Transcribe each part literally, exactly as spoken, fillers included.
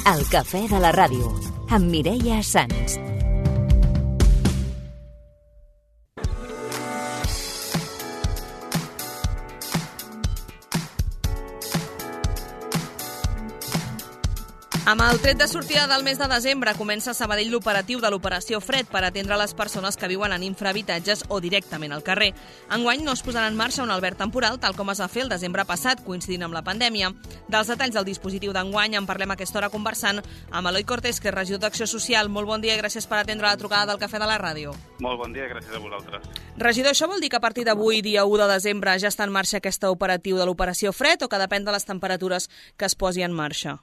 El cafè de la ràdio, amb Mireia Sans. Amb el tret de sortida del mes de desembre comença a Sabadell l'operatiu de l'Operació Fred per atendre les persones que viuen en infrahabitatges o directament al carrer. Enguany no es posarà en marxa un alberg temporal, tal com es va fer el desembre passat, coincidint amb la pandèmia. Dels detalls del dispositiu d'enguany en parlem a aquesta hora conversant amb Eloi Cortés, que és regidor d'Acció Social. Molt bon dia i gràcies per atendre la trucada del Cafè de la Ràdio. Molt bon dia i gràcies a vosaltres. Regidor, això vol dir que a partir d'avui, dia u de desembre, ja està en marxa aquesta operatiu de l'Operació Fred o que depèn de les temperatures que es posi en marxa?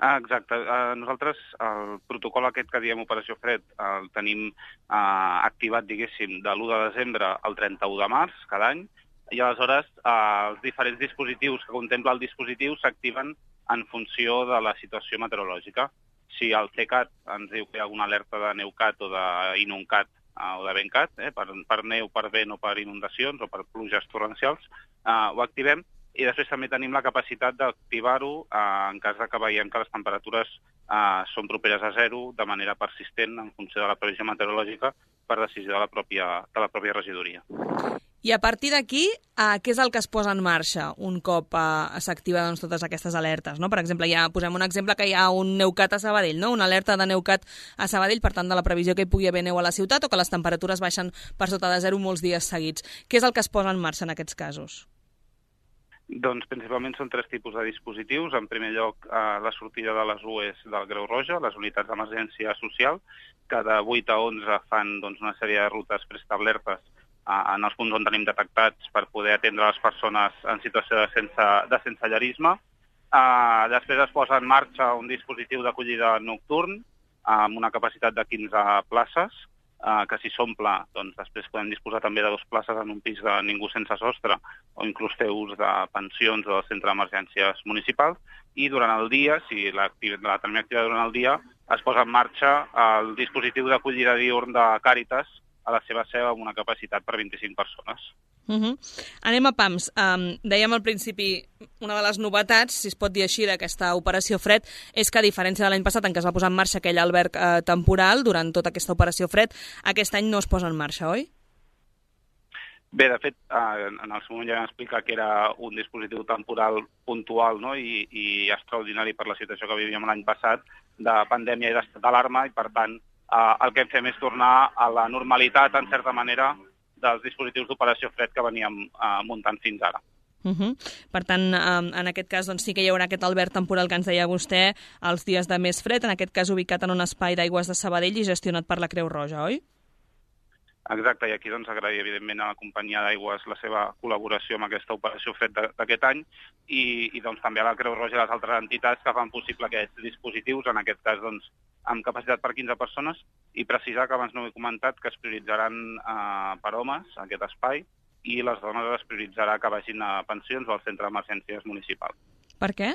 Ah, exacte. Uh, nosaltres el protocol aquest que diem Operació Fred el tenim uh, activat, diguéssim, de l'u de desembre al trenta-u de març cada any, i aleshores uh, els diferents dispositius que contempla el dispositiu s'activen en funció de la situació meteorològica. Si el CECAT ens diu que hi ha alguna alerta de NEUCAT o d'INUNCAT uh, o de VENCAT, eh, per, per neu, per vent o per inundacions o per pluges torrencials, uh, ho activem. I després també tenim la capacitat d'activar-ho eh, en cas que veiem que les temperatures eh, són properes a zero de manera persistent en funció de la previsió meteorològica per decisió de la pròpia, de la pròpia regidoria. I a partir d'aquí, eh, què és el que es posa en marxa un cop eh, s'activen doncs, totes aquestes alertes? No? Per exemple, ja posem un exemple que hi ha un NEUCAT a Sabadell, no? Una alerta de NEUCAT a Sabadell, per tant, de la previsió que hi pugui haver neu a la ciutat o que les temperatures baixen per sota de zero molts dies seguits. Què és el que es posa en marxa en aquests casos? Doncs principalment són tres tipus de dispositius. En primer lloc, eh, la sortida de les U E S del Creu Roja, les unitats d'emergència social, que de vuit a onze fan doncs, una sèrie de rutes preestablertes eh, en els punts on tenim detectats per poder atendre les persones en situació de, sense, de sensellarisme. Eh, després es posa en marxa un dispositiu d'acollida nocturn eh, amb una capacitat de quinze places, Uh, que si s'omple, doncs després podem disposar també de dues places en un pis de ningú sense sostre o inclús fer ús de pensions o del centre d'emergències municipals, i durant el dia, si la, la tenim activada durant el dia, es posa en marxa el dispositiu d'acollida diürn de Càritas a la seva seu amb una capacitat per vint-i-cinc persones. Uh-huh. Anem a pams. Um, dèiem al principi, una de les novetats, si es pot dir així, d'aquesta Operació Fred, és que a diferència de l'any passat en què es va posar en marxa aquell alberg eh, temporal durant tota aquesta Operació Fred, aquest any no es posa en marxa, oi? Bé, de fet, eh, en el seu moment ja vam explicar que era un dispositiu temporal puntual, no? I, i extraordinari per la situació que vivíem l'any passat de pandèmia i d'estat d'alarma, i per tant eh, el que hem fet és tornar a la normalitat, en certa manera, dels dispositius d'Operació Fred que veníem eh, muntant fins ara. Uh-huh. Per tant, um, en aquest cas doncs, sí que hi haurà aquest alberg temporal que ens deia vostè els dies de més fred, en aquest cas ubicat en un espai d'aigües de Sabadell i gestionat per la Creu Roja, oi? Exacte, i aquí doncs, agrair evidentment a la companyia d'aigües la seva col·laboració amb aquesta Operació Fred d'aquest any, i, i doncs, també a la Creu Roja i les altres entitats que fan possible aquests dispositius, en aquest cas doncs, amb capacitat per quinze persones, i precisar que abans no ho he comentat que es prioritzaran eh, per homes aquest espai, i les dones es prioritzarà que vagin a pensions o al centre d'emergències municipal. Per què?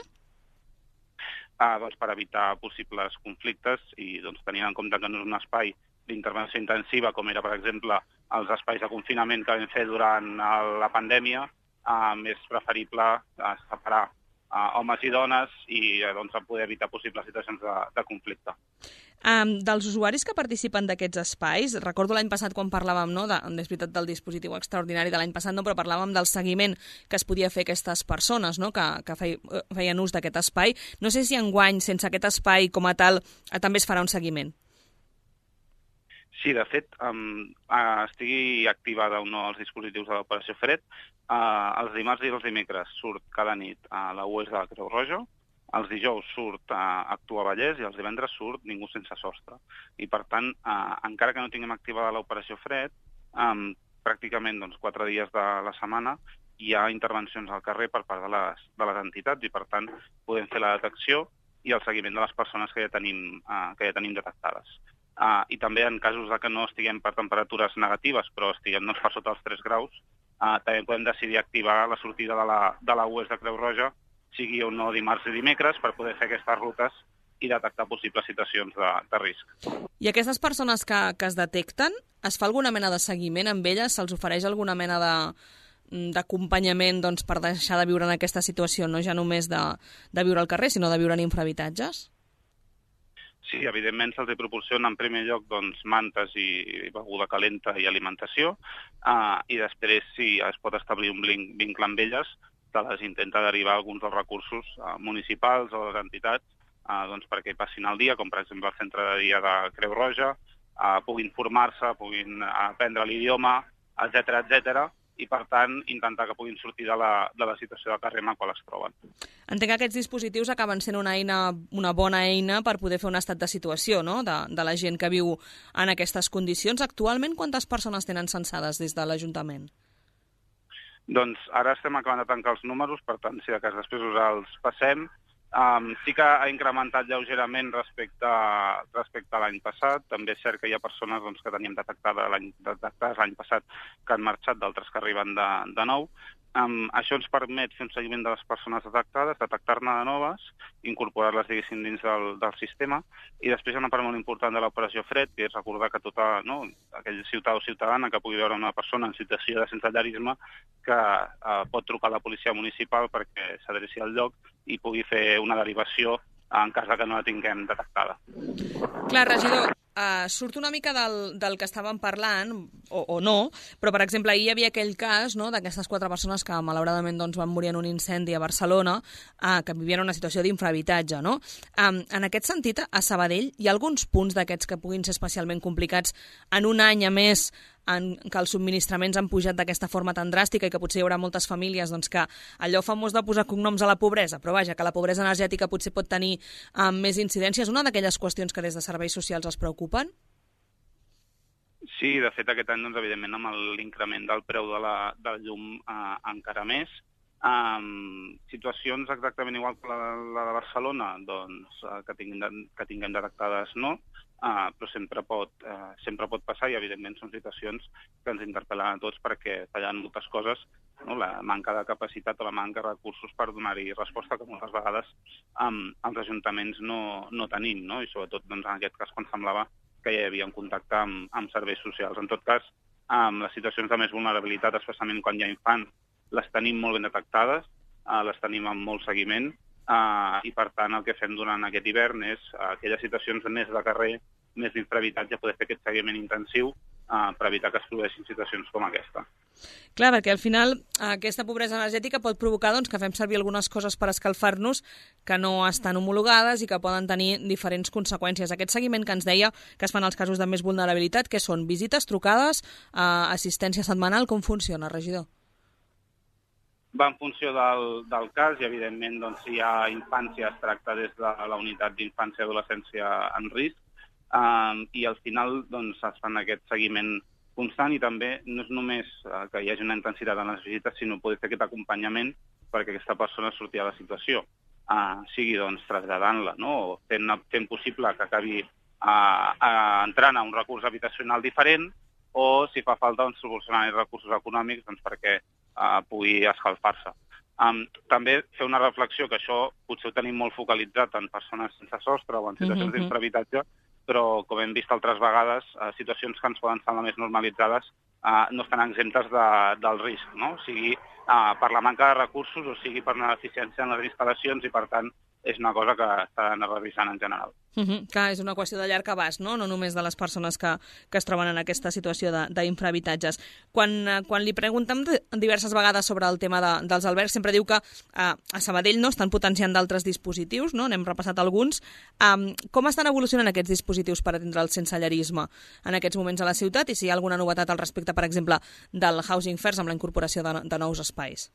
Ah, doncs per evitar possibles conflictes i doncs, tenint en compte que no és un espai d'intervenció intensiva, com era, per exemple, els espais de confinament que vam fer durant la pandèmia, eh, és preferible eh, separar eh, homes i dones i eh, doncs, poder evitar possibles situacions de, de conflicte. Um, dels usuaris que participen d'aquests espais, recordo l'any passat quan parlàvem, no, de, és veritat, del dispositiu extraordinari de l'any passat, no, però parlàvem del seguiment que es podia fer aquestes persones, no, que, que feien ús d'aquest espai. No sé si enguany, sense aquest espai com a tal, també es farà un seguiment. Sí, de fet, um, uh, estigui activada o no els dispositius de l'Operació Fred, uh, els dimarts i els dimecres surt cada nit a la U E S de la Creu Roja, els dijous surt a Actua Vallès i els divendres surt Ningú sense sostre. I, per tant, eh, encara que no tinguem activada l'Operació Fred, eh, pràcticament doncs, quatre dies de la setmana hi ha intervencions al carrer per part de les, de les entitats i, per tant, podem fer la detecció i el seguiment de les persones que ja tenim, eh, que ja tenim detectades. Eh, I també en casos de que no estiguem per temperatures negatives, però estiguem doncs, per sota els tres graus, eh, també podem decidir activar la sortida de la, de la U E S de Creu Roja, sigui o no dimarts i dimecres, per poder fer aquestes rutes i detectar possibles situacions de, de risc. I aquestes persones que, que es detecten, es fa alguna mena de seguiment amb elles? Se'ls ofereix alguna mena de, d'acompanyament doncs, per deixar de viure en aquesta situació, no ja només de, de viure al carrer, sinó de viure en infrahabitatges? Sí, evidentment se'ls proporciona en primer lloc doncs, mantes i beguda calenta i alimentació, uh, i després, si es pot establir un vincle amb elles, se les intenta derivar alguns dels recursos uh, municipals o les entitats uh, doncs, perquè hi passin el dia, com per exemple el centre de dia de Creu Roja, uh, puguin formar-se, puguin aprendre l'idioma, etcètera, etcètera, i, per tant, intentar que puguin sortir de la, de la situació de carrer en la qual es troben. Entenc que aquests dispositius acaben sent una eina, una bona eina per poder fer un estat de situació, no?, de, de la gent que viu en aquestes condicions. Actualment, quantes persones tenen censades des de l'Ajuntament? Doncs ara estem acabant de tancar els números, per tant, si de cas després us els passem. Um, sí que ha incrementat lleugerament respecte, respecte a l'any passat. També és cert que hi ha persones doncs, que teníem detectades l'any detectades l'any passat que han marxat, d'altres que arriben de, de nou. Um, això ens permet fer un seguiment de les persones detectades, detectar-ne de noves, incorporar-les, diguéssim, dins del, del sistema, i després hi ha una part molt important de l'operació Fred, que és recordar que tota, no, aquell ciutadà o ciutadana que pugui veure una persona en situació de sensellarisme que uh, pot trucar a la policia municipal perquè s'adreci al lloc i pugui fer una derivació en cas que no la tinguem detectada. Clar, regidor, uh, surt una mica del, del que estàvem parlant, o, o no, però, per exemple, ahir hi havia aquell cas, no?, d'aquestes quatre persones que, malauradament, doncs, van morir en un incendi a Barcelona, uh, que vivien en una situació d'infrahabitatge, no? Um, en aquest sentit, a Sabadell, hi ha alguns punts d'aquests que puguin ser especialment complicats en un any, a més, en què els subministraments han pujat d'aquesta forma tan dràstica i que potser hi haurà moltes famílies doncs, que allò famós de posar cognoms a la pobresa, però vaja, que la pobresa energètica potser pot tenir um, més incidències. Una d'aquelles qüestions que des de serveis socials els preocupen? Sí, de fet aquest any, doncs, evidentment, amb l'increment del preu de la, del llum eh, encara més. Um, situacions exactament igual que la, la de Barcelona, doncs, uh, que, tinguem, que tinguem detectades no, uh, però sempre pot, uh, sempre pot passar i, evidentment, són situacions que ens interpel·len a tots perquè tallen moltes coses, no? La manca de capacitat o la manca de recursos per donar-hi resposta que moltes vegades um, els ajuntaments no, no tenim, no? I sobretot doncs, en aquest cas quan semblava que ja hi havia un contacte amb, amb serveis socials. En tot cas, um, les situacions de més vulnerabilitat, especialment quan hi ha infants, les tenim molt ben detectades, eh, les tenim amb molt seguiment, eh, i per tant el que fem durant aquest hivern és eh, aquelles situacions més de carrer, més d'infrahabitatge, poder fer aquest seguiment intensiu eh, per evitar que es produeixin situacions com aquesta. Clar, perquè al final aquesta pobresa energètica pot provocar doncs, que fem servir algunes coses per escalfar-nos que no estan homologades i que poden tenir diferents conseqüències. Aquest seguiment que ens deia que es fan els casos de més vulnerabilitat, que són visites, trucades, eh, assistència setmanal, com funciona, regidor? Va en funció del, del cas i, evidentment, doncs, si hi ha infància, es tracta des de la unitat d'infància i adolescència en risc, um, i al final doncs, es fan aquest seguiment constant i també no és només uh, que hi hagi una intensitat en les visites, sinó poder fer aquest acompanyament perquè aquesta persona surti de la situació, uh, sigui doncs, traslladant-la, no? O fent, fent possible que acabi uh, uh, entrant a un recurs habitacional diferent o, si fa falta, doncs, proporcionar recursos econòmics doncs, perquè Uh, pugui escalfar-se. Um, també fer una reflexió, que això potser ho tenim molt focalitzat en persones sense sostre o en situacions mm-hmm. d'infrahabitatge, però, com hem vist altres vegades, uh, situacions que ens poden semblar més normalitzades uh, no estan exemptes de, del risc, no? O sigui, uh, per la manca de recursos o sigui per una deficiència en les instal·lacions i, per tant, és una cosa que s'ha d'anar revisant en general. Uh-huh. Clar, és una qüestió de llarg abast, no? No només de les persones que, que es troben en aquesta situació d'infrahabitatges. Quan, quan li preguntem diverses vegades sobre el tema de, dels albergs, sempre diu que uh, a Sabadell no estan potenciant d'altres dispositius, no? N'hem repassat alguns. Um, com estan evolucionant aquests dispositius per atendre el sensellarisme en aquests moments a la ciutat i si hi ha alguna novetat al respecte, per exemple, del Housing First amb la incorporació de, de nous espais?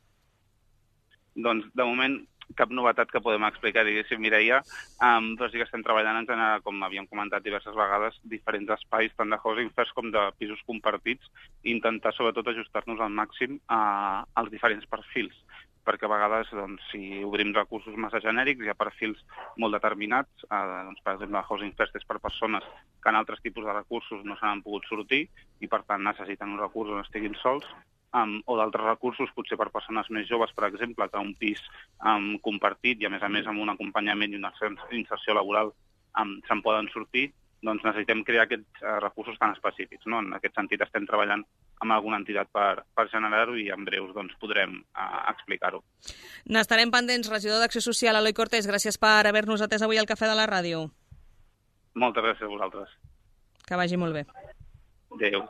Doncs, de moment, cap novetat que podem explicar, diguéssim, Mireia, um, però sí que estem treballant en generar, com havíem comentat diverses vegades, diferents espais, tant de housing first com de pisos compartits, i intentar sobretot ajustar-nos al màxim uh, als diferents perfils, perquè a vegades, doncs, si obrim recursos massa genèrics, hi ha perfils molt determinats, uh, doncs, per exemple, housing first és per persones que en altres tipus de recursos no s'han pogut sortir i, per tant, necessiten un recurs on estiguin sols, Um, o d'altres recursos, potser per persones més joves, per exemple, que un pis um, compartit i, a més a més, amb un acompanyament i una inserció laboral um, se'n poden sortir, doncs necessitem crear aquests uh, recursos tan específics, no? En aquest sentit estem treballant amb alguna entitat per, per generar-ho i en breus doncs, podrem uh, explicar-ho. N'estarem pendents. Regidor d'Acció Social, Eloi Cortés, gràcies per haver-nos atès avui al Cafè de la Ràdio. Moltes gràcies a vosaltres. Que vagi molt bé. Adéu.